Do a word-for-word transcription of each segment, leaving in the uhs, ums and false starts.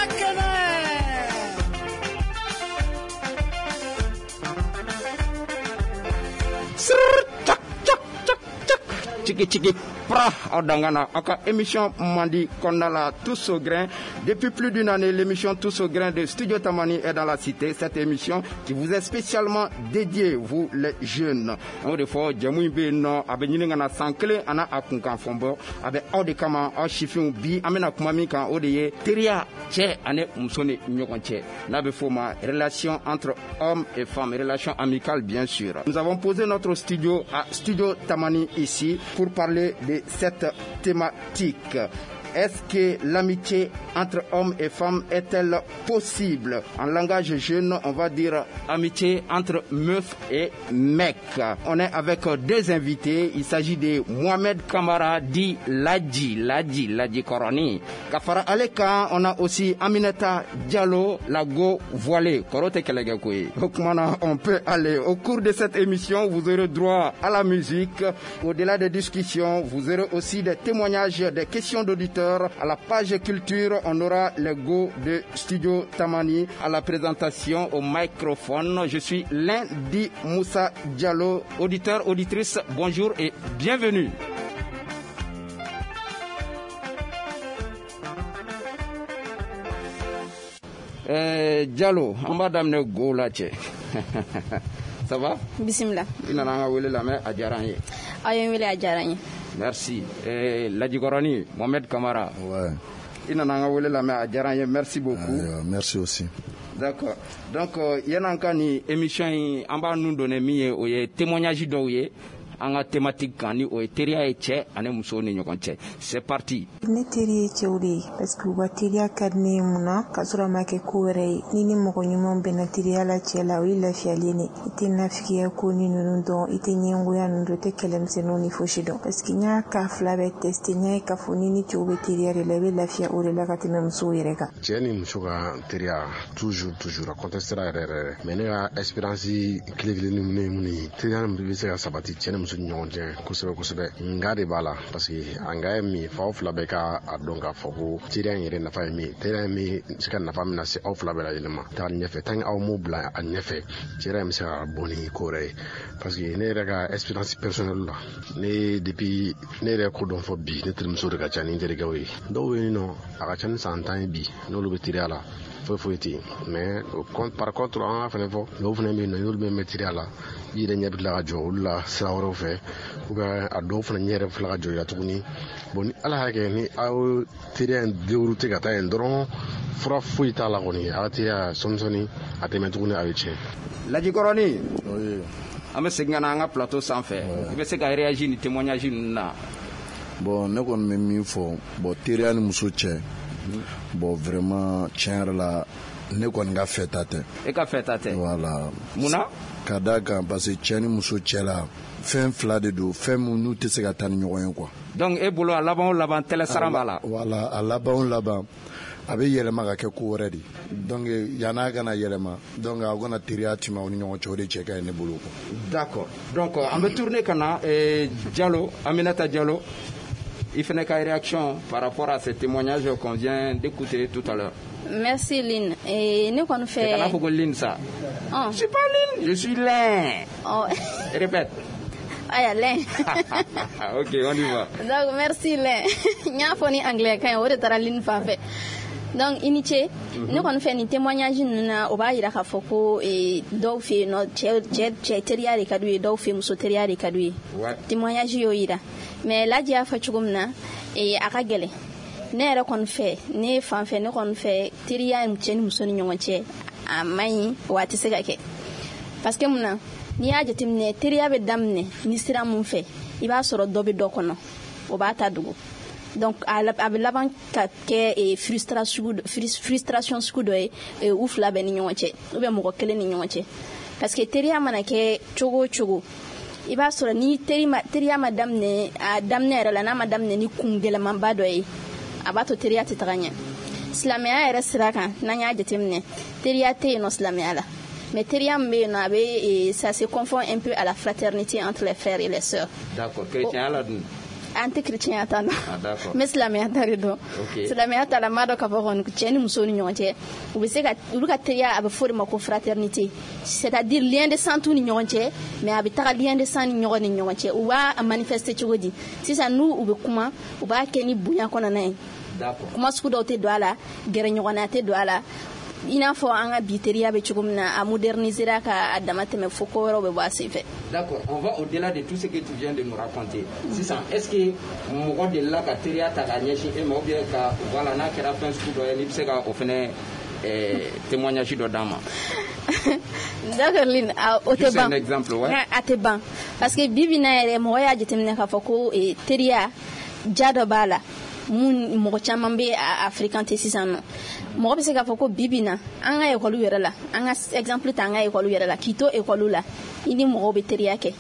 Teriya kɛnɛ. Srrr, tchak, tchak, tchak, tchak. Tchiki, tchiki, pra, aw dangana aw ka émission mandi kɔnɔna la, Tous au grain. Depuis plus d'une année, l'émission Tous au grain de Studio Tamani est dans la cité. Cette émission qui vous est spécialement dédiée, vous les jeunes. An y'o de fɔ, jɛmu in bɛ yen nɔ, a bɛ ɲini ka na san kelen a n'a a kunkan fɔ bɔ. A bɛ aw de kama, aw sifinw. Bi an bɛna kuma min kan, o de ye teriya cɛ ani muso ni ɲɔgɔn cɛ, n'a bɛ f'o ma relation entre hommes et femmes, relation amicale bien sûr. Nous avons posé notre studio à Studio Tamani ici pour parler de cette thématique. Est-ce que l'amitié entre hommes et femmes est-elle possible? En langage jeune, on va dire amitié entre meufs et mecs. On est avec deux invités. Il s'agit de Mohamed Kamara dit Ladji, Ladji, Ladji Koroni. Ka fara ale kan, on a aussi Aminata Diallo, la go voilée. Kɔrɔ tɛ kɛlɛ kɛ koyi. O kuma na, on peut aller. Au cours de cette émission, vous aurez droit à la musique. Au-delà des discussions, vous aurez aussi des témoignages, des questions d'auditeurs. À la page culture, on aura le go de Studio Tamani. À la présentation, au microphone, je suis Lundi Moussa Diallo. Auditeur, auditrice, bonjour et bienvenue. Euh, Diallo, an b'a daminɛ go la cɛ. Ça va? Bismillah. I nana an ka wele lamɛn, a diyara an ye. Aw ye n wele, a diyara n ye. Merci. Eh, Ladjikɔrɔni, Mohamed Kamara. Ouais. I nana an ka wele lamɛn, a diyara an ye. Merci beaucoup. Ayiwa, merci aussi. D'accord. Donc, euh, yan'an ka nin émission in, an b'a nun donner min ye, o ye témoignage dɔw ye an ka thématique kan, ni o ye teriya ye cɛ ani muso ni ɲɔgɔn cɛ. C'est parti. Ne teri ye cɛw de ye parce que u ka teriya ka di ne ye. Mun na? K'a sɔrɔ a ma kɛ ko wɛrɛ ye. Ni ni mɔgɔ ɲumanw bɛnna teriya la cɛ la, o ye lafiyalen de. I tɛ nafigiya ko ni ninnu dɔn, i tɛ ɲɛngoya ninnu dɔn, i tɛ kɛlɛmisɛnninw ni fosi dɔn, parce que n y'a ka fila bɛɛ tester. N y'a ye k'a fɔ ni ni cɛw bɛ teriya de la, i bɛ lafiya o de la ka tɛmɛ musow yɛrɛ kan. Cɛ ni muso ka teriya, toujours toujours a contestera yɛrɛ yɛrɛ, mais ne ka expérience kelen kelen ni ye mun ye, teriya min bɛ se ka sabati cɛ ni muso ni ɲɔgɔn cɛ kosɛbɛ kosɛbɛ, nga de b'a la, parce que a nga ye min ye, f'aw fila bɛɛ ka a dɔn k'a fɔ ko teriya in yɛrɛ nafa ye min ye, teriya in bɛ se ka nafa min lase aw fila bɛɛ lajɛlen ma taga ɲɛfɛ. Tant que aw m'o bila a ɲɛfɛ, teriya in bɛ se ka bɔ ni ko wɛrɛ ye, parce que ne yɛrɛ ka expérience personnelle la, ne depuis ne yɛrɛ ko dɔn fɔ bi, ne terimuso de ka ca ni n terikɛw ye. Dɔw bɛ yen nɔ, a ka ca ni san tan ye bi, n'olu bɛ teriya la, foyi foyi tɛ yen. Mais par contre, an ka fɛnɛ fɔ, dɔw fɛnɛ bɛ yen nɔ, n'olu bɛ mɛn teriya la, i yɛrɛ ɲɛ bɛ tila ka jɔ olu la sira wɛrɛw fɛ, ou bien a dɔw fana ɲɛ yɛrɛ bɛ tila ka jɔ i la tuguni. Bon, ni Ala y'a kɛ ni aw teriya in dérouté ka taa yen dɔrɔn, fura foyi t'a la kɔni, a ka teriya sɔɔni sɔɔni a tɛ mɛn tuguni, a bɛ tiɲɛ. Ladjikɔrɔni. Oui. An bɛ segin ka na an ka plateau sanfɛ. I bɛ se ka réagir ni témoignage ninnu na? Bon, ne kɔni bɛ min fɔ, bon, teriya ni muso cɛ, bon, vraiment, tiɲɛ yɛrɛ la, ne kɔni ka fɛta tɛ. E ka fɛta tɛ? Voilà. Mun na? Ka d'a kan, parce que cɛ ni muso cɛ la, fɛn fila de don, fɛn min n'u tɛ se ka taa ni ɲɔgɔn ye quoi. Donc e bolo, a laban o laban, tɛlɛ saran b'a la. Voilà, a laban o laban, a bɛ yɛlɛma ka kɛ ko wɛrɛ de. Donc yann'a kana yɛlɛma, donc aw kana teriya tɛmɛ aw ni ɲɔgɔn cɛ, o de cɛ ka ɲi ne bolo quoi. D'accord. Donc an bɛ tourner ka na eh, Diallo, Aminata Diallo. I fana ka réaction par rapport à ces témoignages qu'on vient d'écouter tout à l'heure. Merci Lynn. Et ne kɔni fɛ. Kana fɔ ko Lynn sa. Oh. Je suis pas Lynn, je suis Lin. Oh. Répète. Aya, Lin. Ok, on y va. Donc merci Lin. N y'a fɔ ni anglais kan ye, o de taara Lynn fan fɛ. Donc i ni ce. Ne kɔni fɛ, nin témoignage ninnu na, o b'a yira k'a fɔ ko eh, dɔw fɛ yen nɔ, cɛ cɛ cɛ teriya de ka d'u ye, dɔw fɛ yen, muso teriya de ka d'u ye. Ouais. Témoignage y'o yira. Mais Ladji y'a fɔ cogo min na, eh, a ka gɛlɛn. Ne yɛrɛ kɔni fɛ, ne fan fɛ, ne kɔni fɛ, teriya cɛ ni muso ni ɲɔgɔn cɛ, a man ɲi wa a tɛ se ka kɛ. Parce que mun na, n'i y'a jateminɛ, teriya bɛ daminɛ ni sira mun fɛ, i b'a sɔrɔ dɔ bɛ dɔ kɔnɔ, o b'a ta dogo. Donc a a bɛ laban ka kɛ eh, frustration frustration sugu dɔ ye eh, u fila bɛɛ ni ɲɔgɔn cɛ, ou bien mɔgɔ kelen ni ɲɔgɔn cɛ. Parce que teriya mana kɛ cogo o cogo, i b'a sɔrɔ ni teri ma teriya ma daminɛ a daminɛ yɛrɛ la, n'a ma daminɛ ni kun gɛlɛmanba dɔ ye, a b'a to teriya tɛ taga ɲɛ. Silamɛya yɛrɛ sira kan, n'an y'a jateminɛ, teriya tɛ yen nɔ silamɛya la. Mais teriya min bɛ yen nɔ, a bɛ, ça se confond un peu à la fraternité entre les frères et les sœurs. D'accord, chrétien la dun? An tɛ chrétien ta dɔn. N bɛ silamɛya ta de dɔn. Silamɛya ta la, n b'a dɔn k'a fɔ kɔni cɛ ni muso ni ɲɔgɔn cɛ, u bɛ se ka olu ka teriya, a bɛ fɔ o de ma ko fraternité, c'est-à-dire lien de sang t'u ni ɲɔgɔn cɛ, mais a bɛ taga lien de sang ni ɲɔgɔn ni ɲɔgɔn cɛ. U b'a manifester cogo di? Sisan n'u u bɛ kuma, u b'a kɛ ni bonya kɔnɔna ye. Kuma sugu dɔw tɛ don a la, gɛrɛɲɔgɔnna tɛ don a la. I n'a fɔ an ka bi teriya bɛ cogo min na, a modernisera ka a dama tɛmɛ fo ko wɛrɛw bɛ bɔ a senfɛ. D'accord, on va au-delà de tout ce que tu viens de nous raconter. Sisan, est-ce que mɔgɔ delila ka teriya ta k'a ɲɛsin e ma, ou bien ka voilà, n'a kɛra fɛn sugu dɔ ye, n'i bɛ se ka o fɛnɛ témoignage dɔ d'an ma? D'accord Lynn, o tɛ ban. Juste un exemple, ouais. A tɛ ban, parce que bi bi in na yɛrɛ, mɔgɔ y'a jateminɛ k'a fɔ ko teriya ja dɔ b'a la mun mɔgɔ caman bɛ a fréquenter sisan nɔ. Mɔgɔ bɛ se k'a fɔ ko bi bi in na, an ka ekɔliw yɛrɛ la, an ka exemple ta an ka ekɔliw yɛrɛ la, k'i to ekɔliw la, i ni mɔgɔw bɛ teriya kɛ.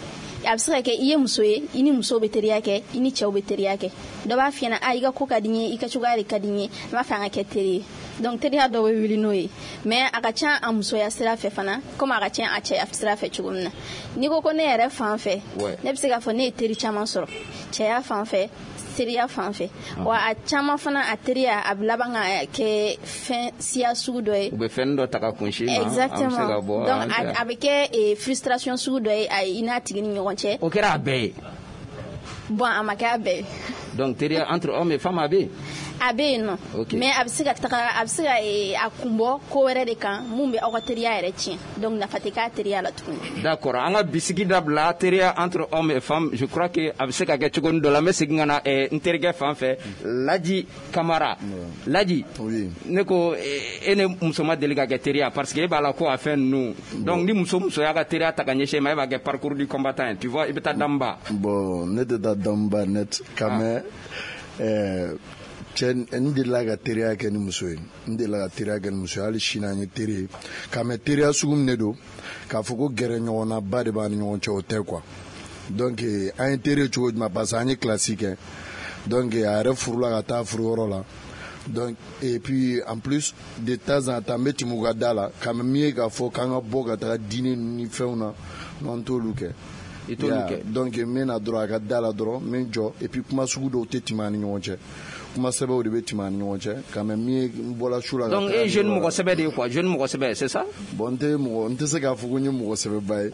A bɛ se ka kɛ i ye muso ye, i ni musow bɛ teriya kɛ, i ni cɛw bɛ teriya kɛ. Dɔ b'a f'i ɲɛna, a i ka ko ka di n ye, i ka cogoya de ka di n ye, n b'a fɛ an ka kɛ teri ye. Donc teriya dɔw bɛ wuli n'o ye, mais a ka ca a musoya sira fɛ fana, komi a ka ca a cɛya sira fɛ cogo min na. N'i ko ko ne yɛrɛ fan fɛ, ne bɛ se k'a fɔ ne ye teri caman sɔrɔ cɛya fan fɛ, teriya fan fɛ. Wa a caman fana, a teriya a bɛ laban ka kɛ fɛn siya sugu dɔ ye. U bɛ fɛn dɔ ta ka kunsi ma. Exactement. Donc a bɛ kɛ frustration sugu dɔ ye i n'a tigi ni ɲɔgɔn cɛ. O kɛra a bɛɛ ye? Bon, a ma kɛ a bɛɛ ye. Donc teriya entre hommes et femmes a bɛ yen? A bɛ yen nɔ. Mais a bɛ se ka taga, a bɛ se ka a kun bɔ ko wɛrɛ de kan mun bɛ aw ka teriya yɛrɛ tiɲɛ. Donc nafa tɛ k'a teriya la tuguni. D'accord, an ka bisigi dabila teriya entre hommes et femmes. Je crois que a bɛ se ka kɛ cogo dɔ la. N bɛ segin ka na n terikɛ fan fɛ, Laji Kamara. Laji, ne ko e ni muso ma deli ka kɛ teriya, parce que e b'a la ko a fɛn ninnu. Donc ni muso muso y'a ka teriya ta ka ɲɛsin e ma, e b'a kɛ parcours du combattant ye, tu vois, i bɛ taa Danba. Bon, ne tɛ taa Danba net quand même. ɛɛ cɛ, n delila ka teriya kɛ ni muso ye, n delila ka teriya kɛ ni muso ye, hali sini an ye teri ye. Ka mɛ teriya sugu min de don, k'a fɔ ko gɛrɛ ɲɔgɔnna ba de b'an ni ɲɔgɔn cɛ, o tɛ quoi. Donc an ye teri ye cogo jumɛn? Parce que an ye kilasi kɛ. Donc a yɛrɛ furula ka taa furuyɔrɔ la. Donc et puis en plus, de temps en temps, n bɛ tɛmɛ u ka da la. Ka mɛ min ye k'a fɔ k'an ka bɔ ka taga dîner ni fɛnw na, non, n t'olu kɛ. I t'olu kɛ. Donc n bɛ na dɔrɔn a ka da la dɔrɔn, n bɛ n jɔ, et puis kuma sugu dɔw tɛ tɛmɛ an ni ɲɔgɔn cɛ, kuma sɛbɛw de bɛ tɛmɛ an ni ɲɔgɔn cɛ. Quand même, min ye n bɔra su la. Donc e ye jeune mɔgɔ sɛbɛ de ye quoi, jeune mɔgɔ sɛbɛ, c'est ça? Bon, n tɛ mɔgɔ, n tɛ se k'a fɔ ko n ye mɔgɔ sɛbɛba ye.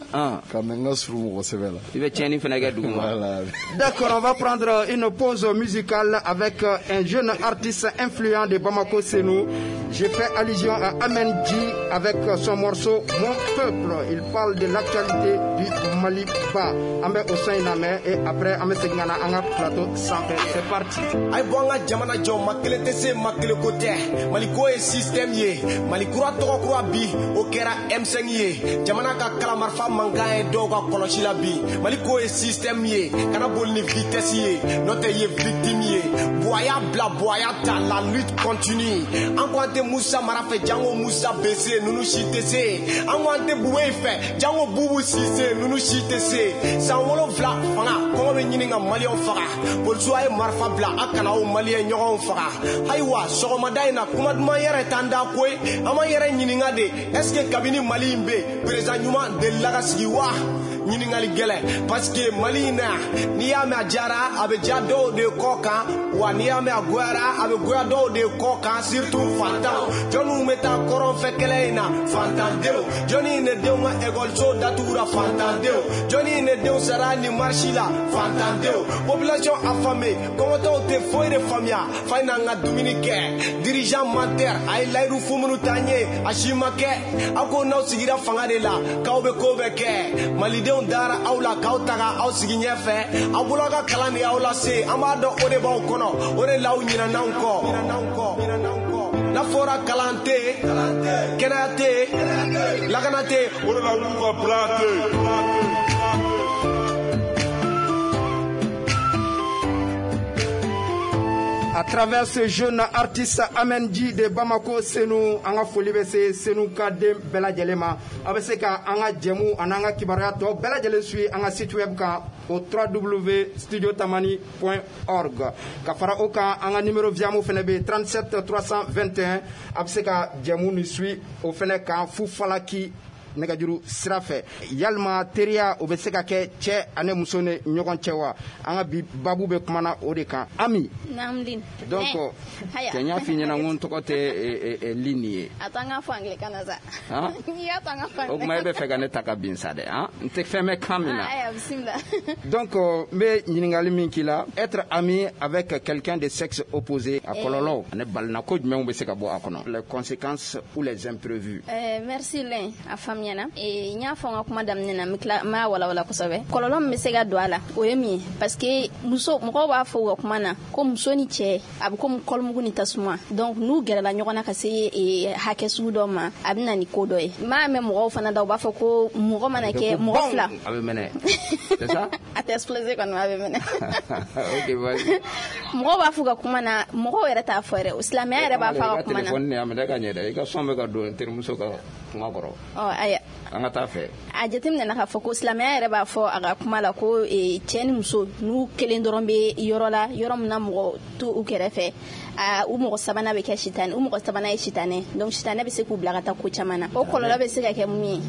Quand même, n ka surun mɔgɔ sɛbɛ la. I bɛ tiɲɛni fana kɛ dugu ma. Voilà. D'accord, on va prendre une pause musicale avec un jeune artiste influent de Bamako Senou. Je fais allusion à Amen G avec son morceau Mon Peuple. Il parle de l'actualité du Mali ba. An bɛ o son in lamɛn et après an bɛ segin ka na an ka plateau sanfɛ. C'est parti. A ye bɔ an ka jamana jɔ, ma kelen tɛ se, ma kelen ko tɛ. Maliko ye système ye, Mali kura tɔgɔ kura bi, o kɛra M cinq ye. Jamana ka kalamarifa mankan ye dɔw ka kɔlɔsi la bi. Maliko ye système ye, kana boli ni vitesse ye, n'o tɛ ye victime ye. Buwa bila, Buwa ta, la lutte continue. An ko an tɛ Musa Mara fɛ, jango Musa B C, ninnu si tɛ se. An ko an tɛ Bube fɛ, jango Bubu Sise, ninnu si tɛ se. San wolonfila fanga, kɔngɔ bɛ ɲini ka Maliyɛnw faga. Polisiw, a ye marifa bila, a kana aw Maliyɛn ɲɔgɔnw faga. Ayiwa, sɔgɔmada in na, kuma duman yɛrɛ t'an da koyi. An m'an yɛrɛ ɲininka de, est ce que kabini Mali in bɛ yen, président ɲuman delila ka sigi wa? Ɲininkali gɛlɛn, parce que Mali in na yan, n'i y'a mɛn a diyara, a bɛ diya dɔw de kɔ kan, wa n'i y'a mɛn a goyara, a bɛ goya dɔw de kɔ kan, surtout fantanw. Jɔnniw bɛ taa kɔrɔn fɛ kɛlɛ in na? Fantandenw. Jɔnni ne denw ka ekɔliso datugura? Fantandenw. Jɔnni ne denw sara ni marche la? Fantandenw. Population affamée, kɔngɔtɔw tɛ foyi de faamuya, fa in n'an ka dumuni kɛ. Dirigeant menteur, a ye layidu fu minnu t'an ye, a si ma kɛ. Aw ko n'aw sigira fanga de la, k'aw bɛ ko bɛɛ kɛ. Malidenw dara aw la k'aw taga aw sigi ɲɛfɛ. Aw bolo aw ka kalan de y'aw lase, an b'a dɔn o de b'aw kɔnɔ, o de l'aw ɲinɛn'anw kɔ. N'a fɔra kalan tɛ yen, kɛnɛya tɛ yen, lakana tɛ yen, o de la olu ka plan tɛ yen. À travers ce jeune artiste Amendi de Bamako Senou, an ka foli bɛ se Senou ka den bɛɛ lajɛlen ma. A bɛ se ka an ka jɛmu ani an ka kibaruya tɔ bɛɛ lajɛlen suit an ka site web kan o w w w point studiotamani point org. Ka fara o kan, an ka numéro Viamo fana bɛ yen, trente-sept trois cent vingt et un. A bɛ se ka jɛmu ni suit o fana kan fu falaki. nɛgɛjuru sira fɛ. Yalima teriya o bɛ se ka kɛ cɛ ani muso ni ɲɔgɔn cɛ wa? An ka bi babu bɛ kumana o de kan. Ami. Naam Lin. Donc cɛ n y'a f'i ɲɛna n ko n tɔgɔ tɛ Lin ye. A to an k'a fɔ anglais kan na sa. N'i y'a to an k'a fɔ anglais. O tuma e bɛ fɛ ka ne ta ka bin sa dɛ, han? N tɛ fɛn mɛn kan min na. Ayiwa bisimila. Donc n bɛ ɲininkali min k'i la, être ami avec quelqu'un de sexe opposé, a kɔlɔlɔw ani balinako jumɛnw bɛ se ka bɔ a kɔnɔ, les conséquences ou les imprévus. Euh, merci Lin, a faamuyana. N y'a fɔ n ka kuma daminɛ na, n bɛ tila n b'a walawala kosɛbɛ. Kɔlɔlɔ min bɛ se ka don a la, o ye min ye, parce que muso mɔgɔw b'a fɔ u ka kuma na ko muso ni cɛ a bɛ komi kɔlɔmugu ni tasuma. Donc n'u gɛrɛla ɲɔgɔn na ka se hakɛ sugu dɔ ma, a bɛ na ni ko dɔ ye. N b'a mɛn mɔgɔw fana da, u b'a fɔ ko mɔgɔ mana kɛ mɔgɔ fila, a bɛ mɛnɛ, c'est ça? A tɛ exploser kɔni, a bɛ mɛnɛ. Ok, vas-y. Mɔgɔw b'a fɔ u ka kuma na, mɔgɔw yɛrɛ t'a fɔ yɛrɛ, silamɛya yɛrɛ b'a fɔ a ka kuma na. I ka téléphone nin a minɛ ka ɲɛ dɛ, i ka son bɛ ka don n terimuso ka kuma kɔrɔ. Ɔ ayiwa. An ka taa fɛ. A jateminɛ k'a fɔ ko silamɛya yɛrɛ b'a fɔ a ka kuma la ko cɛ ni muso n'u kelen dɔrɔn bɛ yɔrɔ la, yɔrɔ min na mɔgɔ t'u u kɛrɛfɛ, u mɔgɔ sabanan bɛ kɛ sitanɛ, u mɔgɔ sabanan ye sitanɛ. Donc sitanɛ bɛ se k'u bila ka taa ko caman na. O kɔlɔlɔ bɛ se ka kɛ mun ye?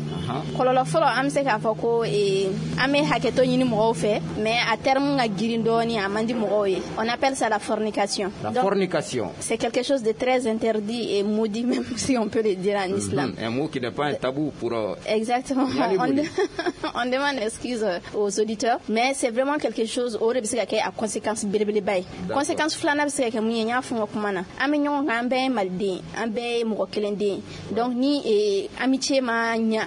Kɔlɔlɔ fɔlɔ, an bɛ se k'a fɔ ko an bɛ hakɛto ɲini mɔgɔw fɛ, mais a terme ka girin dɔɔni, a man di mɔgɔw ye. On appelle ça la fornication. La fornication. C'est quelque chose de très interdit et maudit, même si on peut le dire en islam. Un mot qui n'est pas un tabou pour... Exactement. On, on demande excuse aux auditeurs, mais c'est vraiment quelque chose o de bɛ se ka kɛ a conséquence belebeleba ye. Conséquence filanan bɛ se ka kɛ mun ye? N y'a fɔ n ka kuma na, an bɛ ɲɔgɔn kan, an bɛɛ ye maliden, an bɛɛ ye mɔgɔ kelen den. Donc ni amitié ma ɲa,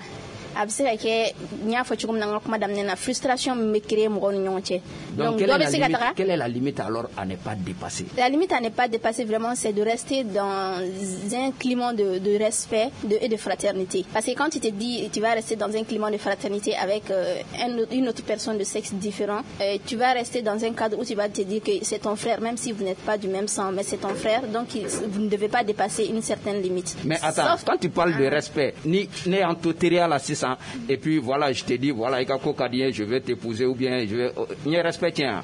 a bɛ se ka kɛ, n y'a fɔ cogo min na n ka kuma daminɛ na, frustration min bɛ créer mɔgɔw ni ɲɔgɔn cɛ. Donc quelle est la limite, quelle est la limite alors à ne pas dépasser? La limite à ne pas dépasser, vraiment, c'est de rester dans un climat de, de respect de, et de fraternité. Parce que quand tu te dis tu vas rester dans un climat de fraternité avec euh, un, une autre personne de sexe différent, euh, tu vas rester dans un cadre où tu vas te dire que c'est ton frère, même si vous n'êtes pas du même sang, mais c'est ton frère, donc il, vous ne devez pas dépasser une certaine limite. Mais attends, Sauf... quand tu parles de respect, ni ni en totéria la six ans, et puis voilà, je te dis, voilà, je vais t'épouser ou bien je vais... Ni respect, tiens.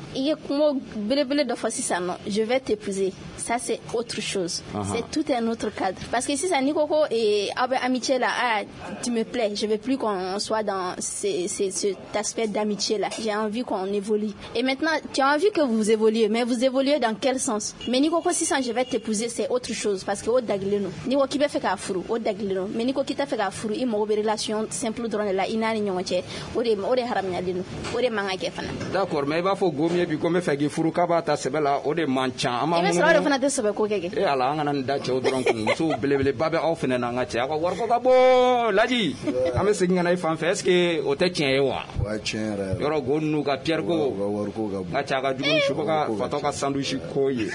Je vais t'épouser. Ça, c'est autre chose. Uh-huh. C'est tout un autre cadre. Parce que si ça, Nikoko et amitié là, ah, tu me plais, je veux plus qu'on soit dans ces, ces, cet aspect d'amitié là. J'ai envie qu'on évolue. Et maintenant, tu as envie que vous évoluez, mais vous évoluez dans quel sens? Mais Nikoko, si ça, je vais t'épouser, c'est autre chose. Parce que au dagleno, Niko qui fait qu'à furu, au dagleno. Mais Niko qui t'a fait qu'à furu, il m'a relation simple dɔrɔn de la i n'a ni ɲɔgɔn cɛ, o de o de haramuyalen don, o de man ka kɛ fana. D'accord, mais i b'a fɔ gomiye bi ko n bɛ fɛ k'i furu k'a b'a ta sɛbɛ la, o de man ca. An b'a i bɛ sɔrɔ o de fana tɛ sɛbɛ ko kɛ kɛ. E ala, an kana nin da cɛw dɔrɔn kun, musow belebeleba bɛ aw fana n'an ka cɛ, aw ka wariko ka bon. Laji, an bɛ segin ka na i fan fɛ, est ce que o tɛ tiɲɛ ye wa? O ye tiɲɛ yɛrɛ yɛrɛ. Yɔrɔ go ninnu ka Pierre ko. U ka wariko ka bon. N ka cɛ a ka jugu ni suba ka fatɔ ka sandwich ko ye.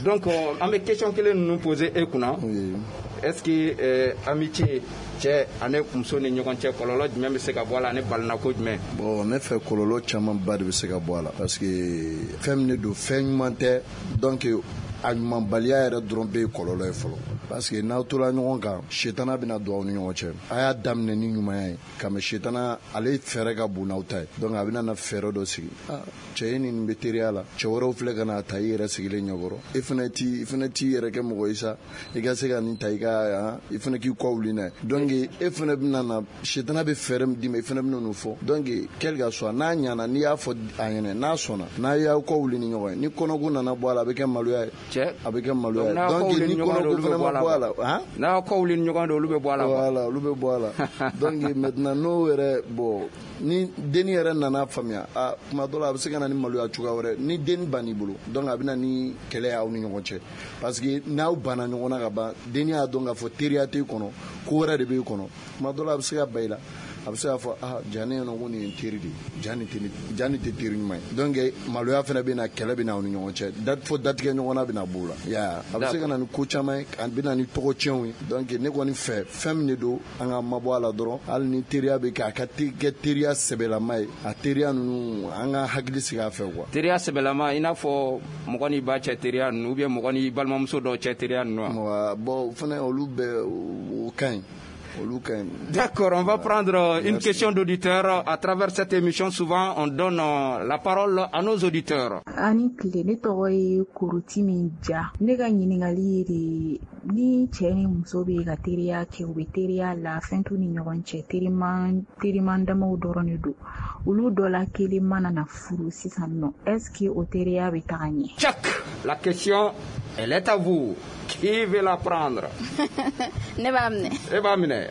Donc an bɛ question kelen ninnu poser e kunna. Est ce que euh, amitié cɛ ani muso ni ɲɔgɔn cɛ, kɔlɔlɔ jumɛn bɛ se ka bɔ a la ani balinako jumɛn? Bon, ne fɛ kɔlɔlɔ camanba de bɛ se ka bɔ a la, parce que fɛn min de don, fɛn ɲuman tɛ. Donc a ɲumanbaliya yɛrɛ dɔrɔn bɛ ye kɔlɔlɔ ye fɔlɔ, parce que n'aw tora ɲɔgɔn kan, sitana bɛna don aw ni ɲɔgɔn cɛ. A y'a daminɛ ni ɲumanya ye, ka mɛ sitana ale fɛɛrɛ ka bon n'aw ta ye. Donc a bɛna na fɛɛrɛ dɔ sigi. Ah, cɛ ye nin bɛ teriya la, cɛ wɛrɛw filɛ ka n'a ta i yɛrɛ sigilen ɲɛkɔrɔ, e fana t'i i fana t'i yɛrɛ kɛ mɔgɔ ye sa, i ka se ka nin ta i ka i fana k'i kɔ wuli n'a ye. Donc e fana bɛna na, sitana bɛ fɛɛrɛ min d'i ma, i fana bɛna n'o fɔ. Donc quel que soit, n'a ɲana, n'i y'a fɔ a ɲɛna, n'a sɔnna, n'a y'aw kɔ wuli ni ɲɔgɔn ye, ni kɔnɔko nana bɔ a la, a bɛ kɛ maloya ye. Cɛ, a bɛ kɛ maloya ye. Donc ni kɔnɔko fana ma bɔ a la, han, n'a kɔ wuli ni ɲɔgɔn ye, olu bɛ bɔ a la. Voilà, olu bɛ bɔ a la. Donc maintenant n'o yɛrɛ, bon, ni denni yɛrɛ nana faamuya, a kuma dɔ la a bɛ se ka na ni maloya cogoya wɛrɛ. Ni denni bann'i bolo, donc a bɛ na ni kɛlɛ ye aw ni ɲɔgɔn cɛ, parce que n'aw banna ɲɔgɔn na ka ban, denni y'a dɔn k'a fɔ teriya t'e kɔnɔ, ko wɛrɛ de b'e kɔnɔ. Kuma dɔ la a bɛ se ka ba i la, a bɛ se k'a fɔ ah, ja ne ɲɛna ko nin ye n teri de ye, ja nin tɛ ja nin tɛ teri ɲuman ye. Donc maloya fana bɛ na, kɛlɛ bɛ na aw ni ɲɔgɔn cɛ, dat fo datigɛ ɲɔgɔnna bɛ na b'o la. Ya, a bɛ se ka na ni ko caman ye, a bɛ na ni tɔgɔ tiɲɛw ye. Donc ne kɔni fɛ, fɛn min de don, an ka mabɔ a la dɔrɔn. Hali ni teriya bɛ kɛ, a ka kɛ teriya sɛbɛlama ye, a teriya ninnu an ka hakili sigi a fɛ quoi. Teriya sɛbɛlama, i n'a fɔ mɔgɔ n'i ba cɛ teriya ninnu, ou bien mɔgɔ n'i balimamuso dɔw cɛ teriya ninnu wa? Bon, o fana olu bɛɛ o ka ɲi. Olu ka ɲi. D'accord, on va prendre une Merci. Question d'auditeur. À travers cette émission, souvent, on donne la parole à nos auditeurs. Ani tile, ne tɔgɔ ye Koroti min ja. Ne ka ɲininkali ye de, ni cɛ ni muso bɛ ka teriya kɛ, u bɛ teriya la, fɛn t'u ni ɲɔgɔn cɛ, teriman teriman damaw dɔrɔn de don, olu dɔ la kelen mana na furu sisan nɔ, est ce que o teriya bɛ taga ɲɛ? Tchak, la question, elle est à vous. Qui veut la prendre? Ne b'a minɛ. E b'a minɛ.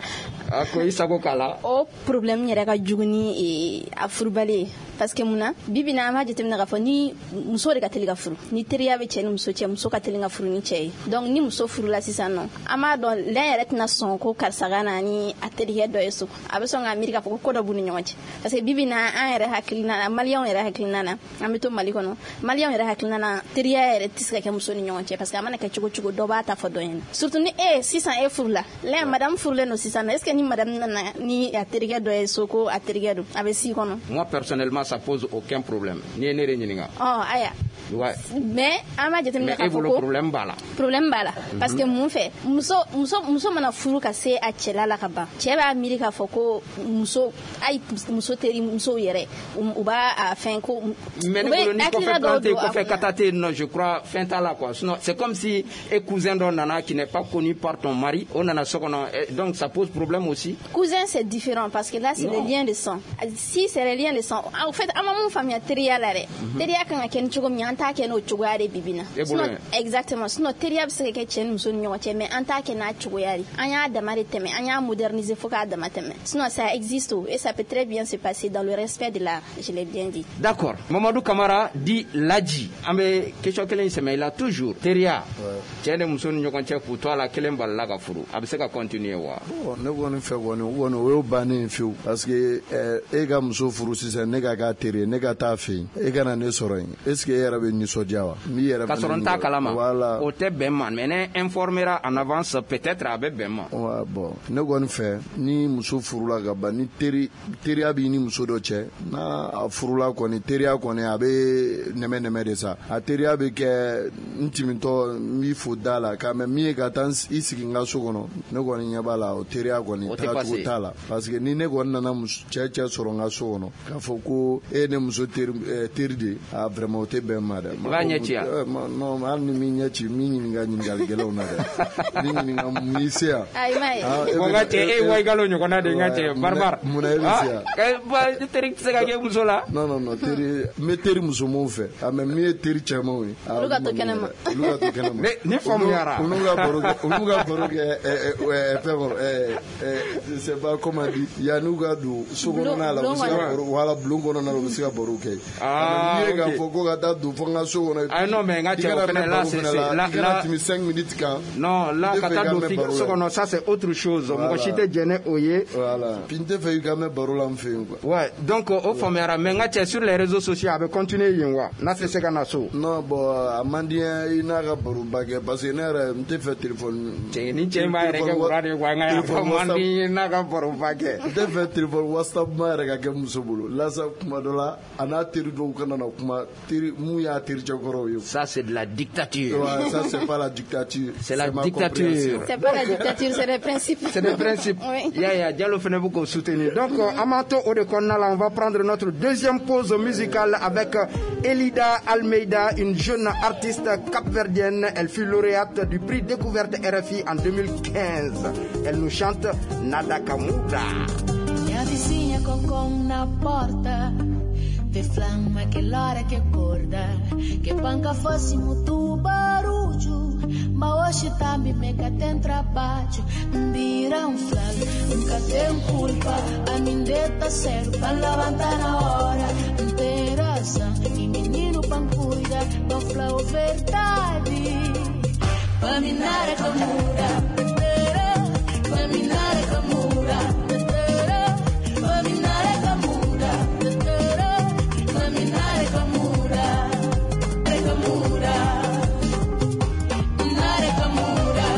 A ko i sago k'a la. O problème yɛrɛ ka jugu ni a furubali ye, parce que mun na, bi bi in na, an b'a jateminɛ k'a fɔ ni muso de ka teli ka furu, ni teriya bɛ cɛ ni muso cɛ, muso ka teli ka furu ni cɛ ye. Donc ni muso furula sisan nɔ, an b'a dɔn lɛn yɛrɛ tɛna sɔn ko karisa ka na ni a terikɛ dɔ ye so, a bɛ sɔn k'a miiri k'a fɔ ko ko dɔ b'u ni ɲɔgɔn cɛ, parce que bi bi in na, an yɛrɛ hakilina na, maliyɛnw yɛrɛ hakilina na, an bɛ to Mali kɔnɔ, maliyɛnw yɛrɛ hakilina na, teriya yɛrɛ tɛ se ka kɛ muso ni ɲɔgɔn cɛ, parce que a mana kɛ cogo cogo, dɔ b'a ta fɔ dɔ ɲɛna, surtout ni e sisan e furula lɛn, madame furulen don sisan nɔ, est ce que ni madame nana ni a terikɛ dɔ ye so ko a terikɛ don, a bɛ s'i kɔnɔ? Moi personnellement, ça pose aucun problème. Ni ye ne de ɲininka. Ɔ aya. Ouais. Mais an b'a jateminɛ k'a fɔ ko problème b'a la. Problème b'a la, parce que mun fɛ, muso muso muso mana furu ka se a cɛla la ka ban, cɛ b'a miiri k'a fɔ ko muso ayi, muso teri musow yɛrɛ, u b'a a fɛn ko. Mais ne bolo, ni kɔfɛ plan tɛ, kɔfɛ kata tɛ yen nɔ, je crois fɛn t'a la quoi. Sinon c'est comme si e cousin dɔ nana qui n'est pas connu par ton mari, o nana so kɔnɔ, donc ça pose problème aussi. Cousin, c'est différent, parce que là c'est le lien de sang. Si c'est le lien de sang, en fait an ma mun faamuya teriya la dɛ, teriya kan ka kɛ ni cogo min, an t'a kɛ n'o cogoya de bibi na. Sinon exactement, sinon teriya bɛ se ka kɛ cɛ ni muso ni ɲɔgɔn cɛ, mais an t'a kɛ n'a cogoya de, an y'a dama de tɛmɛ, an y'a moderniser fo k'a dama tɛmɛ. Sinon ça existe et ça peut très bien se passer dans le respect de l'art, je l'ai bien dit. D'accord. Mamadou Kamara dit Ladji, an bɛ question kelen sɛmɛ i la toujours, teriya cɛ ni muso ni ɲɔgɔn cɛ, k'u to a la, kelen balila ka furu, a bɛ se ka continuer wa? Bon, ne kɔni fɛ kɔni, o kɔni o y'o bannen fiyewu, parce que e ka muso furu sisan, ne ka k'a teri ye, ne ka taa fɛ yen, e kana ne sɔrɔ yen, est ce que e yɛrɛ bɛ nisɔndiya wa? N b'i yɛrɛ ka sɔrɔ n t'a kalama. Voilà. O tɛ bɛn ma, mais ne informera en avance, peut-être a bɛ bɛn ma. Ouais, bon, ne kɔni fɛ, ni muso furula ka ban, ni teri teriya b'i ni muso dɔ cɛ, n'a a furula kɔni, teriya kɔni a bɛ nɛmɛ nɛmɛ de sa, a teriya bɛ kɛ n timitɔ, n b'i fo da la ka mɛ min ye ka taa i sigi n ka so kɔnɔ, ne kɔni ɲɛ b'a la, o teriya kɔni tagacogo t'a la, parce que ni ne kɔni nana cɛ cɛ sɔrɔ n ka so kɔnɔ k'a fɔ ko e ye ne muso teri teri de ye, a vraiment o tɛ bɛn ma dɛ. I b'a ɲɛ ci yan? Non, hali ni min ɲɛ ci, n b'i ɲininka ɲininkali gɛlɛnw na dɛ, n b'i ɲininka mun y'i se yan. Ayi ma ye. Bon, n ka cɛ, e ye Wayigalo ɲɔgɔnna de ye, n ka cɛ barbare. Munna e bɛ se yan? Teri tɛ se ka kɛ muso la. Non non non, teri n bɛ teri musomanw fɛ, a mais min ye teri cɛmanw ye. Olu ka to kɛnɛma. Olu ka to kɛnɛma. Ne faamuyara. Olu ka baro kɛ, olu ka baro kɛ fɛn kɔnɔ, je sais pas comment dire, yan'u ka don so kɔnɔna la, u bɛ se ka baro, wala bulon kɔnɔna la, u bɛ se ka baro kɛ. Ah, n'i ye k'a fɔ ko ka taa don fo n ka so kɔnɔ. Ah non, mais n ka cɛ, o fɛnɛ là c'est là là tɛmɛ cinq minutes kan. Non, là ka taa don f'i ka so kɔnɔ, ça c'est autre chose. Mɔgɔ si tɛ jɛn ni o ye. Voilà. Puis n tɛ fɛ i ka mɛn baro la n fɛ yen quoi. Ouais, donc o faamuyara, mais n ka cɛ, sur les réseaux sociaux a bɛ continuer yen wa? N'a tɛ se ka na so. Non, bon, a man di n ye i n'a ka baroba kɛ, parce que ne yɛrɛ n tɛ fɛ téléphone. Cɛ, ni cɛ in b'a yɛrɛ kɛ wura de ye quoi, n ka yan man di n ye n'a ka baroba kɛ. N tɛ fɛ téléphone WhatsApp ma yɛrɛ ka kɛ muso bolo. Là sa kuma dɔ la, a n'a teri dɔw kana na kuma, teri mun y'a tericɛ kɔrɔw ye. Ça c'est de la dictature. Ouais, ça c'est pas la dictature. C'est la dictature. C'est pas la dictature, c'est des principes. C'est des principes. Oui. Ya ya, Diallo fɛnɛ bɛ k'o soutenir. Donc an b'an to o de kɔnɔna la, on va prendre notre deuxième pause musicale avec Elida Almeida, une jeune artiste capverdienne. Elle fut lauréate du prix Découverte R F I en deux mille quinze. Elle nous chante Nada Kamuda. Minha vizinha com na porta, vê flama aquela hora que acorda, que panca fosse muito barulho, mas hoje também me tem trabalho. Vira um flalo, nunca tem culpa, a mim deta sério, pra levantar na hora, tem razão, e menino pra cuida, pra falar a verdade, pra mim nada camura, pra mim nada camura, pra mim nada camura, pra mim nada camura, camura. Nare kamura,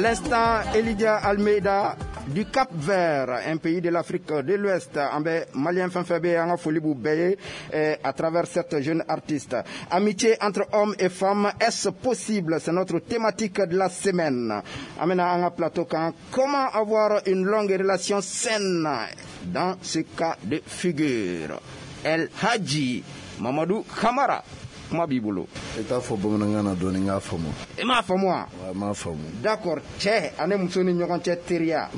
l'instant, Elidia Almeida du Cap Vert, un pays de l'Afrique de l'Ouest, an bɛ malien fɛn fɛn bɛ yen, an ka foli b'u bɛɛ ye eh, à travers cette jeune artiste. Amitié entre hommes et femmes, est-ce possible? C'est notre thématique de la semaine. An bɛna an ka plateau kan, comment avoir une longue relation saine dans ce cas de figure? El Hadji Mamadou Kamara, kuma b'i bolo. I t'a fɔ bamanankan na dɔɔni n k'a faamu. I m'a faamu wa? Wa n m'a faamu. D'accord, cɛ ani muso ni ɲɔgɔn cɛ teriya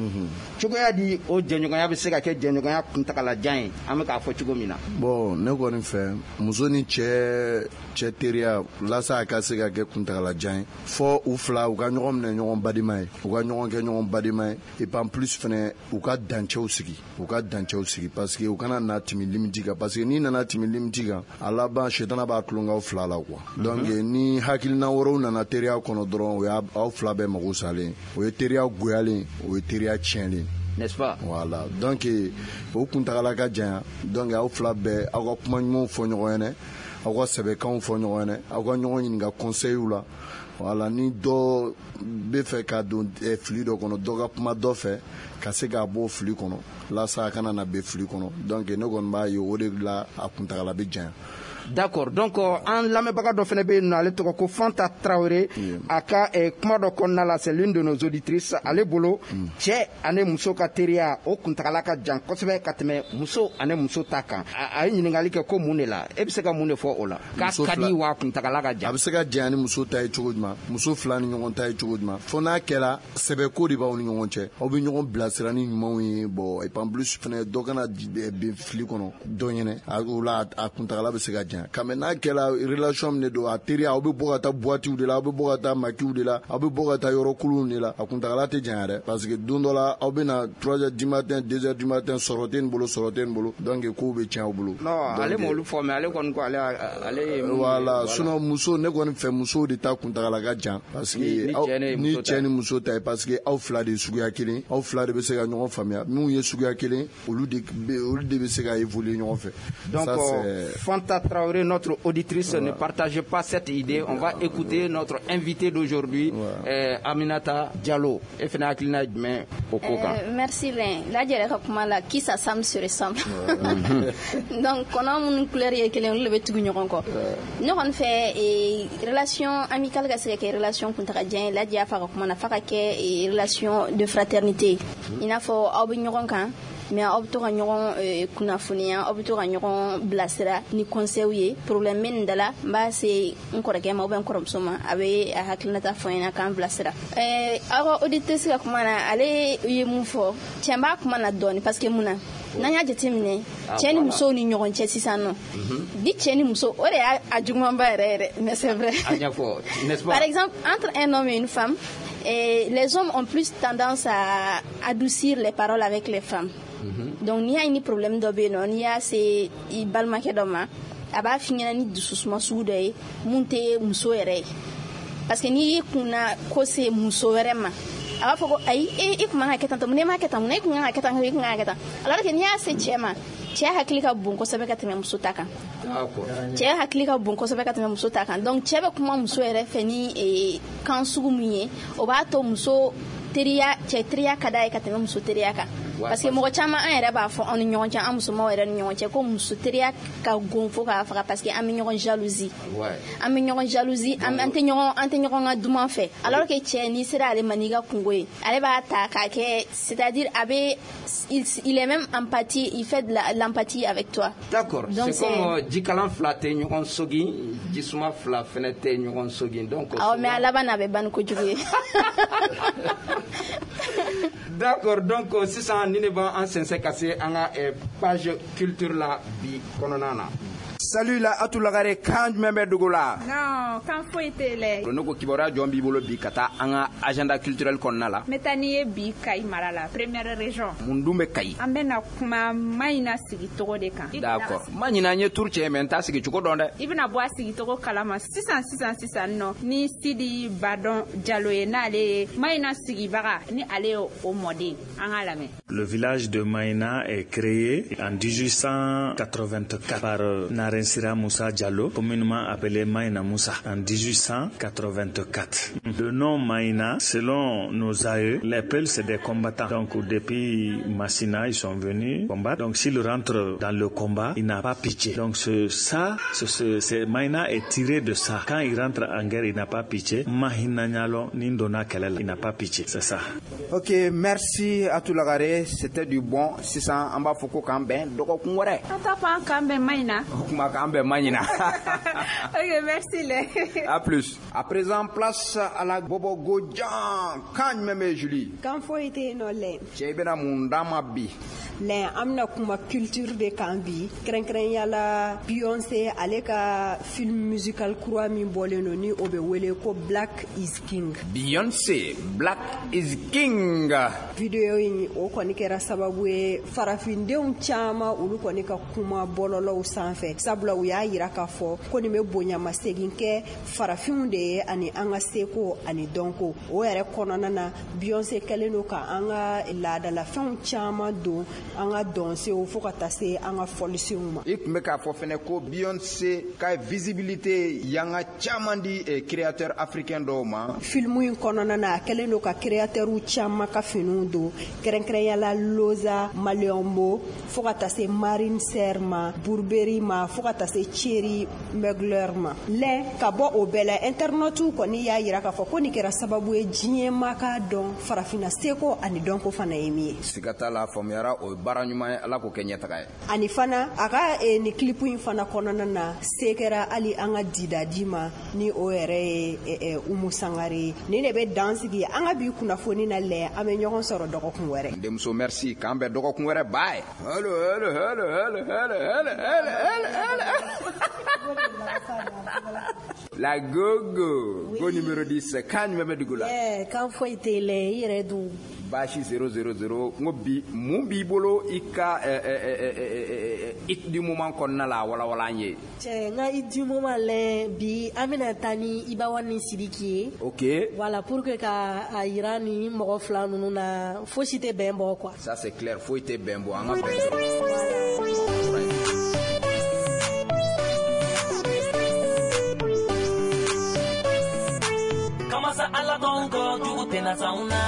cogoya di, o jɛɲɔgɔnya bɛ se ka kɛ jɛɲɔgɔnya kuntagalajan ye, an bɛ k'a fɔ cogo min na? Bon, ne kɔni fɛ, muso ni cɛ cɛ teriya walasa a ka se ka kɛ kuntagalajan ye, fɔ u fila u ka ɲɔgɔn minɛ ɲɔgɔn badima ye, u ka ɲɔgɔn kɛ ɲɔgɔn badima ye, et puis en plus fɛnɛ u ka dancɛw sigi, u ka dancɛw sigi, parce que u kana na tɛmɛ limite kan, parce que n'i nana tɛmɛ limite kan, a laban shetana b'a tulon k'aw fila la quoi. Donc ni hakilina wɛrɛw nana teriya kɔnɔ dɔrɔn, o y'a aw fila bɛɛ mago salen, o ye teriya goyalen, o ye teriya tiɲɛlen. N'est-ce pas? Voilà. Donc o kuntagala ka janya, donc aw fila bɛɛ aw ka kuma ɲumanw fɔ ɲɔgɔn ɲɛnɛ, aw ka sɛbɛkanw fɔ ɲɔgɔn ɲɛnɛ, aw ka ɲɔgɔn ɲininka conseil la. Voilà, ni dɔ bɛ fɛ ka don eh, fili dɔ kɔnɔ, dɔ ka kuma dɔ fɛ ka se k'a bɔ fili kɔnɔ, walasa a kana na bɛn fili kɔnɔ. Donc ne kɔni b'a ye o de la a kuntagala bɛ janya. D'accord, donc euh, an lamɛnbaga dɔ fana bɛ yen nɔ, ale tɔgɔ ko Fanta Traoré. A ka eh, kuma dɔ kɔnɔna la, c'est l'une de nos auditrices, ale bolo cɛ ani muso ka teriya o kuntagala ka jan kosɛbɛ ka tɛmɛ muso ani muso ta kan. A a ye ɲininkali kɛ ko mun de la, e bɛ se ka mun de fɔ o la? K'a Muso ka di fila- wa kuntagala ka a jan? bɛ se ka janya ni muso ta ye cogo jumɛn, muso fila ni ɲɔgɔn ta ye cogo jumɛn? Fo n'a kɛra sɛbɛko de b'aw ni ɲɔgɔn cɛ, aw bɛ ɲɔgɔn bilasira ni ɲumanw ye. Bon, et puis en plus fɛnɛ dɔ kana ji- eh, bin fili kɔnɔ dɔ ɲɛnɛ, a o la a kuntagala bɛ se ka janya. Ka mɛ n'a kɛra relation min de don, a teriya, aw bɛ bɔ ka taa boîte de la, aw bɛ bɔ ka taa maquis de la, aw bɛ bɔ ka taa yɔrɔ kuluw de la, a kuntagala tɛ janya dɛ, parce que don dɔ la aw bɛ na trois heures du matin, deux heures du matin, sɔrɔ tɛ nin bolo, sɔrɔ tɛ nin bolo, donc kow bɛ tiɲɛ aw bolo. Non, Donc, ale m'olu fɔ, mais ale kɔni ko ale ale ye mun ye, voilà. Sinon muso, ne kɔni fɛ musow de ta kuntagala ka jan, parce que Ni- ni aw- cɛ ni ni muso ta cɛ ye. ni muso ta ye, parce que aw fila de ye suguya kelen, aw fila de bɛ se ka ɲɔgɔn faamuya. Minnu ye suguya kelen, olu de bɛ olu de bɛ se ka évoluer ɲɔgɔn fɛ. Donc, Ça, euh, c'est- Fanta Traoré, notre auditrice, ne partage pas cette idée. On va écouter notre invité d'aujourd'hui, euh, Aminata Diallo. E fana hakilina ye jumɛn o ko kan? Euh, merci Len. Lajɛ yɛrɛ ka kuma la, qui s'assemble se ressemble. Donc kɔnɔ minnu couleur ye kelen, olu de bɛ tugu ɲɔgɔn kɔ. Ne kɔni fɛ, eh, relation amicale ka se ka kɛ relation kuntagajan ye, Lajɛ y'a fɔ a ka kuma na, f'a ka kɛ eh, relation de fraternité. I n'a fɔ aw bɛ ɲɔgɔn kan, mais aw bɛ to ka ɲɔgɔn eh, kunnafoniya, aw bɛ to ka ɲɔgɔn bilasira ni conseil ye. Problème bɛ nin da la, n b'a se n kɔrɔkɛ ma ou bien n kɔrɔmuso ma, a bɛ a hakilinata fɔ n ɲɛna k'an bilasira. Eh, aw ka auditrice ka kuma na, ale ye mun fɔ, tiɲɛ b'a kuma na dɔɔni, parce que mun na, n'an y'a jateminɛ Ah, cɛ ni voilà. musow ni ɲɔgɔn cɛ sisan nɔ, ni cɛ ni muso, o de y'a a jugumanba yɛrɛ yɛrɛ, mais c'est vrai. A ɲɛfɔ, n'est-ce pas? Par exemple, entre un homme et une femme, eh, les hommes ont plus tendance à adoucir les paroles avec les femmes. Donc, n'i y'a ye ni problème dɔ bɛ yen nɔ, n'i y'a se i balimakɛ dɔ ma, a b'a f'i ɲɛna ni dususuma sugu dɔ ye mun tɛ muso yɛrɛ ye. Parce que n'i y'i kunna ko se muso wɛrɛ ma, a b'a fɔ ko ayi, e i kun man ka kɛ tan tɔ, mun na e m'a kɛ tan, mun na e kun kan ka kɛ tan, i kun kan ka kɛ tan. Alors que n'i y'a se cɛ ma, cɛ hakili ka bon kosɛbɛ ka tɛmɛ muso ta kan. D'accord. Cɛ hakili ka bon kosɛbɛ ka tɛmɛ muso ta kan, donc cɛ bɛ kuma muso yɛrɛ fɛ ni eh, kan sugu min ye, o b'a to muso teriya, cɛ teriya ka d'a ye ka tɛmɛ muso teriya kan. Ouais, parce que mɔgɔ caman, an yɛrɛ b'a fɔ anw ni ɲɔgɔn cɛ, an musomanw yɛrɛ ni ɲɔgɔn cɛ, ko muso teriya ka gon fo k'a faga, parce que an bɛ ɲɔgɔn jalousie. Ouais. An bɛ ɲɔgɔn jalousie, an an tɛ ɲɔgɔn an tɛ ɲɔgɔn ka duman fɛ, alors que cɛ, n'i sera ale ma n'i ka kungo ye, ale b'a ta k'a kɛ, c'est-à-dire a bɛ il, il est même empathie, il fait de la- l'empathie avec toi. D'accord. Donc, C'est comme euh, jikalan fila tɛ ɲɔgɔn sogin, jisuma fila fɛnɛ tɛ ɲɔgɔn sogin. Donc, Awɔ, mais a laban na, a bɛ ban ni kojugu ye. D'accord, donc euh, sisan ni ne b'an sɛnsɛn ka se an ka eh, page culture la bi kɔnɔna na. Salut la Atou Lagare, kan jumɛn bɛ dugu la? Non, kan foyi tɛ lɛ. Ne ko kibaruya jɔn b'i bolo bi ka taa an ka agenda culturel kɔnɔna la? N bɛ taa n'i ye bi Kayi mara la, première région. Mun dun bɛ Kayi? An bɛna kuma Maɲina sigicogo de kan. D'accord. Ma ɲinɛ, n ye tour cɛ mais n t'a sigi cogo dɔn dɛ. I bɛna bɔ a sigicogo kalama sisan sisan sisan nɔ ni Sidi Badɔn Jalo ye, n'ale ye Maɲina sigibaga, ni ale ye o mɔden. An k'a lamɛn. Le village de Maïna est créé en dix-huit cent quatre-vingt-quatre par Narensira Moussa Diallo, communément appelé Maïna Moussa, en dix-huit cent quatre-vingt-quatre. Le nom Maïna, selon nos aïeux, les Peuls, c'est des combattants. Donc depuis Massina, ils sont venus combattre. Donc s'ils rentrent dans le combat, il n'a pas pitié. Donc ce, ça, ce, ce, ce, Maïna est tiré de ça. Quand il rentre en guerre, il n'a pas pitié. Mahina Nyalo, Nindona Kelela, il n'a pas pitié. C'est ça. Ok, merci à tout le. C'était du bon. Sisan an b'a fɔ ko k'an bɛn dɔgɔkun wɛrɛ. An t'a fɔ an k'an bɛn Maïna. O kuma k'an bɛn Maïna. Ok, merci les. À plus. À présent, place à la Bobo Godjan. Kan jumɛn bɛ Julie? Kan foyi tɛ yen nɔ lɛ. Cɛ i bɛna mun d'an ma bi? Lɛ, an bɛna kuma culture de kan bi. Kɛrɛnkɛrɛnya la Beyoncé ale ka film musical kura min bɔlen don ni o bɛ wele ko Black is King. Beyoncé, Black is King. Video in o kɔni kɛra sababu ye farafindenw caman olu kɔni ka kuma bɔlɔlɔw sanfɛ, sabula u y'a yira k'a fɔ ko nin bɛ bonyamasegin kɛ farafinw de ye ani an ka seko ani dɔnko. O yɛrɛ kɔnɔna na Beyoncé kɛlen don ka an ka laadalafɛnw caman don an ka dɔnsew fo ka taa se an ka fɔlisenw ma. I tun bɛ k'a fɔ fɛnɛ ko Beyoncé ka visibilité yanga caman di créateur africain dɔw ma. Film in kɔnɔna na a kɛlen don ka créateur caman ka finiw don, kɛrɛnkɛrɛnya la Loza Maliombo fo ka taa se Marine Serre ma, Burberry ma, fo ka taa se Thierry Mugler ma. Lɛ ka bɔ o bɛɛ la internautes kɔni y'a yira k'a fɔ ko nin kɛra sababu ye diɲɛ ma k'a dɔn farafinna seko ani dɔnko fana ye min ye. Siga t'a la, faamuyara, o ye baara ɲuman ye, Ala k'o kɛ ɲɛtaga ye. Ani fana a ka eh, nin clip in fana kɔnɔna na se kɛra hali an ka didadi ma ni o yɛrɛ ye eh, eh, Umu Sangare ye. Nin de bɛ dan sigi an ka bi kunnafoni na lɛ, an bɛ ɲɔgɔn sɔrɔ dɔgɔkun wɛrɛ. Denmuso merci, k'an bɛn dɔgɔkun wɛrɛ, bye. Hello, hello, hello, hello, hello, hello, hello, hello. La gogo, oui. Go numéro dix, kan jumɛn bɛ dugu la? Eh, kan foyi tɛ lɛ, i yɛrɛ dun. Baasi zéro zéro zéro, n ko bi mun b'i bolo i ka hit du moment kɔnɔna la, walawala an ye. Cɛ, n ka hit du moment lɛ bi an bɛna taa ni Ibawa ni Sidiki ye. Ok. Voilà, pour que ka a yira ni mɔgɔ fila ninnu na fosi tɛ bɛn bɔ quoi. Ça c'est clair, foyi tɛ bɛn bɔ, an ka bɛn sɔrɔ. Masa ala donko jugu tɛna s'anw na.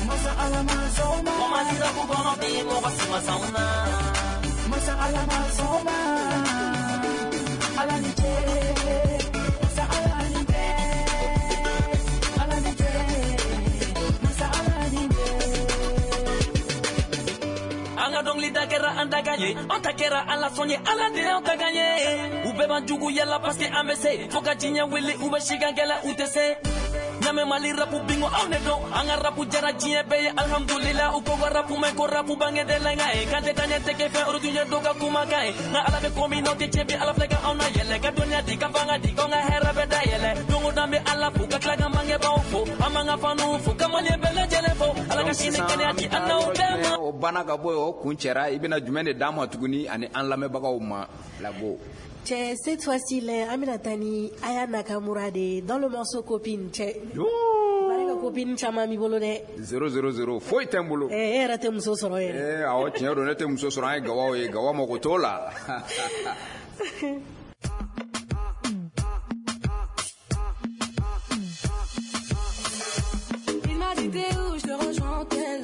Masa ala ma s'anw ma. Mɔgɔ ma ku kɔnɔ bi mɔgɔ si ma s'anw na. Masa ala ma s'anw ma. Ala ni ce. Masa ala ni ce. Ala ni ce. Masa ala ni ce. An ka dɔnkili da kɛra an dakan ye, an ta kɛra ala sɔn ye, ala de y'an ta kan ye. U bɛɛ b'an jugu yala parce que an bɛ se, fo ka diɲɛ wuli u bɛ sigan kɛlɛ u tɛ se. Ɲamɛ Mali rapu bingo aw ne dɔn, an ka rapu jara diɲɛ bɛɛ ye alhamdulila. U ko ka rapu mɛn ko rapu bange de la nka ye, kan tɛ taa ɲɛ tɛ kɛ fɛn olu tun ye dɔw ka kumakan ye. Nka ala bɛ ko min n'aw tɛ tiɲɛ bi ala filɛ ka anw na yɛlɛ, ka dɔnniya di ka fanga di k'anw ka hɛrɛ bɛ dayɛlɛ. Don o don an bɛ ala fo ka tila ka bangebaaw fo, an b'an ka fanuw fo ka maliyɛn bɛɛ lajɛlen fo. Ala ka sini kɛnɛya di an n'aw bɛɛ ma. O banna ka bɔ yen, o kun cɛra, i bɛna jumɛn de d'an ma tuguni ani an lamɛnbagaw ma Lago? Cɛ, cette fois-ci lɛ, an bɛna taa ni Aya Nakamura de ye dans le morceau Copine. Cɛ, bari ka copine caman b'i bolo dɛ. zéro zéro zéro, foyi tɛ n bolo. Eh, e yɛrɛ tɛ muso sɔrɔ yɛrɛ. Eh, awɔ, tiɲɛ don, ne tɛ muso sɔrɔ, an ye gawaw ye, gawa mago t'o la. Il m'a dit t'es où, je te rejoins tel.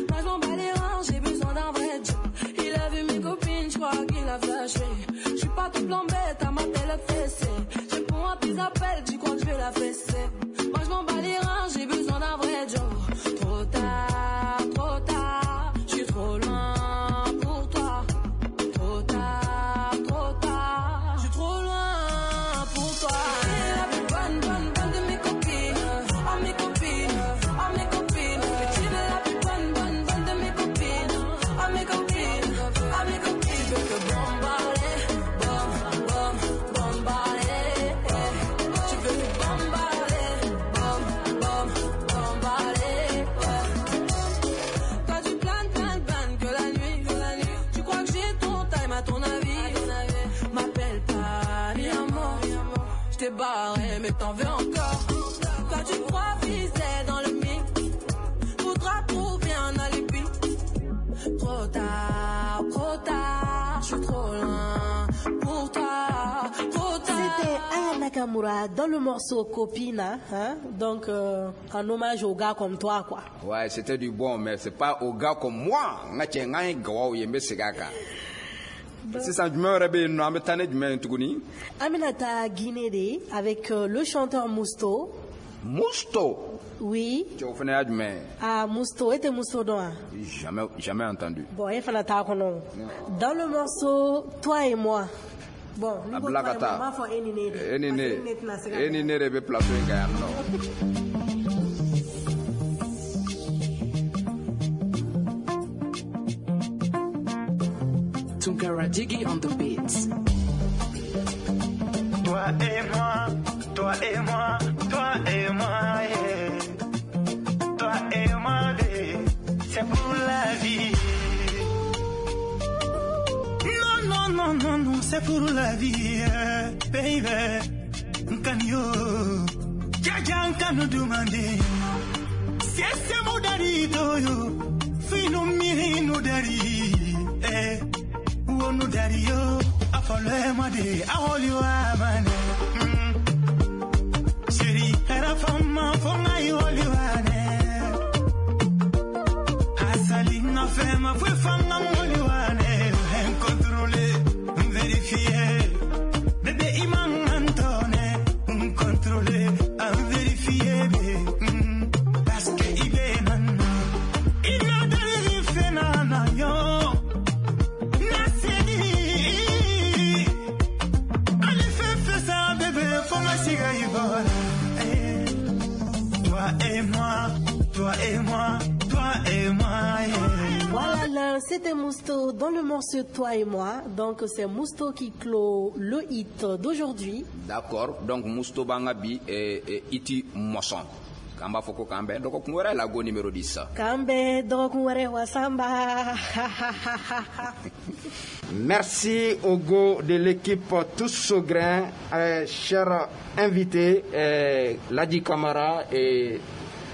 Moi je m'en bats les reins, j'ai besoin d'un vrai job. Il a vu mes copines, je crois qu'il a flashé. Je suis pas toute bête à ma télé fessée. Je réponds à tes appels, tu crois que je vais la fesser. Moi je m'en bats les reins, j'ai besoin d'un vrai job. Trop tard, trop tard, je suis trop loin pour toi. Trop tard, trop tard, je suis trop loin pour toi. T'es la plus bonne, bonne, bonne de mes copines. Ah mes copines, ah mes copines. Mais tu es la plus bonne, bonne, bonne de mes copines. Ah mes copines, ah mes copines. Je veux te bombarder, bom, bom, bombarder. Tu veux te bombarder, bom, bom, bombarder. Toi tu planes, planes, planes que la nuit, que la nuit. Tu crois que j'ai ton time à ton avis. M'appelle pas, mi amor. Je t'ai barré, mais t'en veux encore. Toi tu crois viser dans le mille. Faudra trouver un alibi. Trop tard, trop tard, je suis trop loin pour toi, trop tard. C'était Aya Nakamura dans le morceau Copine, hein? Donc euh, en hommage aux gars comme toi, quoi. Ouais, c'était du bon, mais c'est pas aux gars comme moi. C'est Aminata Guinée avec euh, le chanteur Mousto. Mousto? Oui. Ah, Mousto, et Mousto doit. Jamais, jamais entendu. Bon, il faut la Dans le morceau Toi et moi. Bon, nous avons Enine. Enine rebe plateau en Tunkara Jiggy on the beats. Toi et moi, toi et moi, toi et moi, yeah. Toi et moi, yeah. C'est pour la vie. Non, non, non, non, non, c'est pour la vie, yeah. Baby. Nkanyo, jaja nkanu dumande. Sese mudari toyo, finu miri nudari, eh. Wonu dario, afole made, aholi wa mane. Chérie, era fama, fama yoli wane. Asali na fema, fue fama moli wane. Contrôler, vérifier. Bébé iman antone, contrôler, vérifier. Parce que ibe nana, ina dari fena yo. Toi et moi, toi et moi, toi et moi. Yeah. Voilà, là, c'était Mousto dans le morceau Toi et moi. Donc c'est Mousto qui clôt le hit d'aujourd'hui. D'accord, donc Mousto Bangabi et, et Iti Mosson. Kamba foko kambe doko kunwere la go numéro dix. Kambe doko kunwere wasamba. Merci au go de l'équipe Tous au grain, euh, chers invités, euh, Ladi Kamara et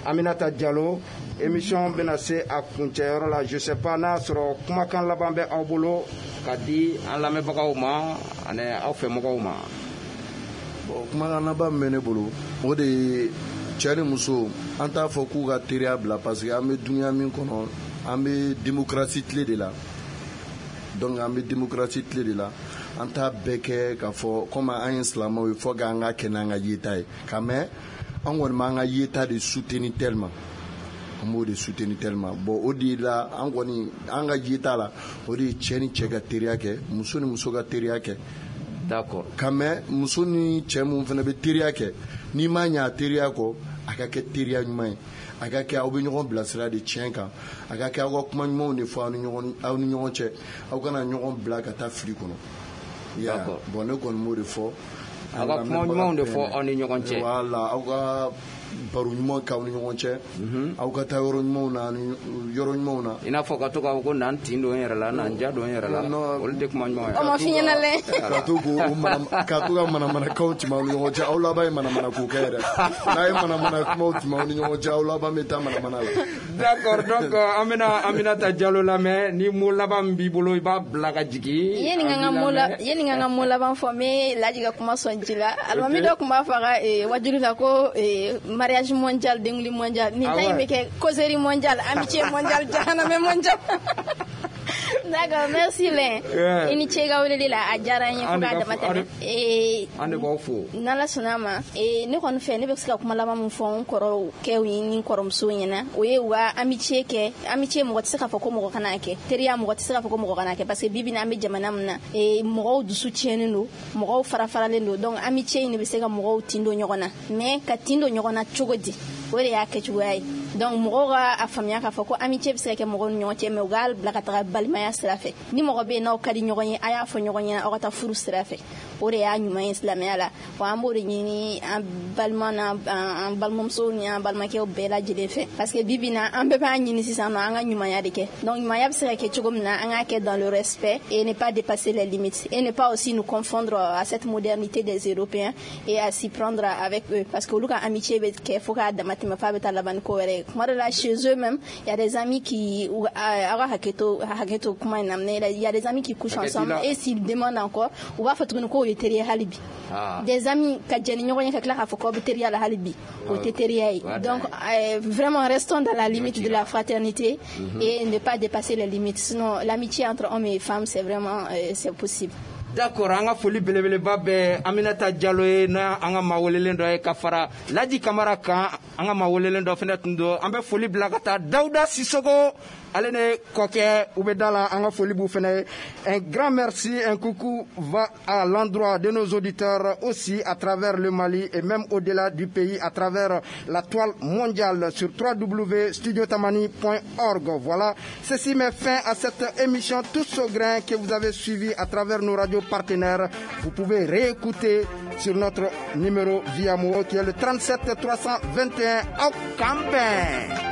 Aminata Diallo. Émission benase a kuncɛyɔrɔ la, je sais pas n'a sɔrɔ kumakan laban bɛ aw bolo ka di an lamɛnbagaw ma ani aw fɛmɔgɔw ma. Bon, kumakan laban min bɛ ne bolo, o de ye cɛ ni muso, an t'a fɔ k'u ka teriya bila parce que an bɛ dunuya min kɔnɔ, an bɛ démocratie tile de la. Donc an bɛ démocratie tile de la, an t'a bɛɛ kɛ k'a fɔ comme an ye silamɛw ye fo k'an ka kɛ n'an ka yeta ye. Ka mɛ an kɔni b'an ka yeta de soutenir tellement, an b'o de soutenir tellement. Bon, o de la an kɔni an ka yeta la, o de ye cɛ ni cɛ ka teriya kɛ, muso ni muso ka teriya kɛ. D'accord. Ka mɛ muso ni cɛ mun fana bɛ teriya kɛ, n'i ma ɲɛ a teriya kɔ, a ka kɛ teriya ɲuman ye, a ka kɛ aw bɛ ɲɔgɔn bilasira de tiɲɛ kan, a ka kɛ aw ka kuma ɲumanw de fɔ aw ni ɲɔgɔn aw ni ɲɔgɔn cɛ, aw kana ɲɔgɔn bila ka taa fili kɔnɔ. D'accord. Bon, ne kɔni b'o de fɔ. Aw ka kuma ɲumanw de fɔ aw ni ɲɔgɔn cɛ. Voilà, aw ka baro ɲuman k'aw ni ɲɔgɔn cɛ, aw ka taa yɔrɔ ɲumanw na, yɔrɔ ɲumanw na. I n'a fɔ ka to k'a fɔ ko na n tin don n yɛrɛ la, na n ja don n yɛrɛ la, olu tɛ kuma ɲuman ye. O ma f'i ɲɛna dɛ. Ka to k'o mana, ka to ka manamanakaw tɛmɛ aw ni ɲɔgɔn cɛ, aw laban ye manamanako kɛ yɛrɛ. N'a ye manamana kumaw tɛmɛ aw ni ɲɔgɔn cɛ, aw laban bɛ taa manamana la. D'accord, donc an bɛna Aminata Diallo lamɛn, ni mot laban min b'i bolo i b'a bila ka jigin. Yanni n ka n ka mot la, yanni n ka n ka mot laban fɔ, n bɛ Ladi ka kuma sɔn ji la. Alimami dɔ tun b'a fɔ a ka wajuli la ko mariage mondial, denguli mondial. Nin ta in bɛ kɛ causerie mondiale, amitié mondiale, jahanamɛ mondial. D'accord, merci Lin. I ni ce i ka weleli la, a diyara n ye fo k'a dama tɛmɛ. An de b'aw fo. N'Ala sɔnna a ma, ne kɔni fɛ ne bɛ se ka kuma laban min fɔ n kɔrɔkɛw ni n kɔrɔmusow ɲɛna, o ye u ka amitié kɛ. Amitié mɔgɔ tɛ se k'a fɔ ko mɔgɔ kana kɛ, teriya mɔgɔ tɛ se k'a fɔ ko mɔgɔ kana kɛ, parce que bi bi in na an bɛ jamana min na, mɔgɔw dusu tiɲɛnen don, mɔgɔw fara faralen don, donc amitié in de bɛ se ka mɔgɔw tin don ɲɔgɔn na, mais ka tin don ɲɔgɔn na cogo di, o de y'a kɛcogoya ye. Donc mɔgɔw ka a faamuya k'a fɔ ko amitié bɛ se ka kɛ mɔgɔw ni ɲɔgɔn cɛ, mais u k'a bila ka taga balimaya sira fɛ. Ni mɔgɔ bɛ yen n'aw ka di ɲɔgɔn ye, a y'a fɔ ɲɔgɔn ɲɛna, aw ka taa furu sira fɛ. O de y'a ɲuman ye silamɛya la. Wa an b'o de ɲini an balima n'an an balimamusow ni an balimakɛw bɛɛ lajɛlen fɛ, parce que bi bi in na an bɛɛ b'a ɲini sisan nɔ an ka ɲumanya de kɛ. Donc ɲumanya bɛ se ka kɛ cogo min na, an k'a kɛ dans le respect et ne pas dépasser les limites et ne pas aussi nous confondre à cette modernité des Européens et à s'y prendre avec eux, parce que olu ka amitié bɛ kɛ fo k'a dama tɛmɛ f'a bɛ taa laban ni ko wɛrɛ ye. Kuma dɔ la, chez eux même, il y a des amis qui, aw ka hakɛ to hakɛ to kuma in na, mais il y a des amis qui couchent ensemble et s'ils demandent encore, u b'a fɔ tuguni k'o ye teri ye hali bi. Des amis ka jɛ ni ɲɔgɔn ye ka tila k'a fɔ k'aw bɛ teriya la hali bi, o tɛ teriya ye. Donc euh, vraiment, restons dans la limite de la fraternité mm-hmm. et ne pas dépasser les limites, sinon l'amitié entre hommes et femmes, c'est vraiment euh, c'est possible. D'accord, an ka foli belebeleba bɛ Aminata Jalo ye, n'a an ka maa welelen dɔ ye, ka fara Laji Kamara kan, an ka maa welelen dɔ fɛnɛ tun don. An bɛ foli bila ka taa Dawuda Sisogo, ale ne kɔkɛ u bɛ da la, an ka foli b'u fɛnɛ ye. Un grand merci, un coucou va à l'endroit de nos auditeurs aussi à travers le Mali et même au-delà du pays à travers la toile mondiale sur w w w point studio tamani point org. Voilà, ceci met fin à cette émission Tous au grain que vous avez suivi à travers nos radios partenaires. Vous pouvez réécouter sur notre numéro via Mo qui est le trente-sept trois cent vingt et un au Campin.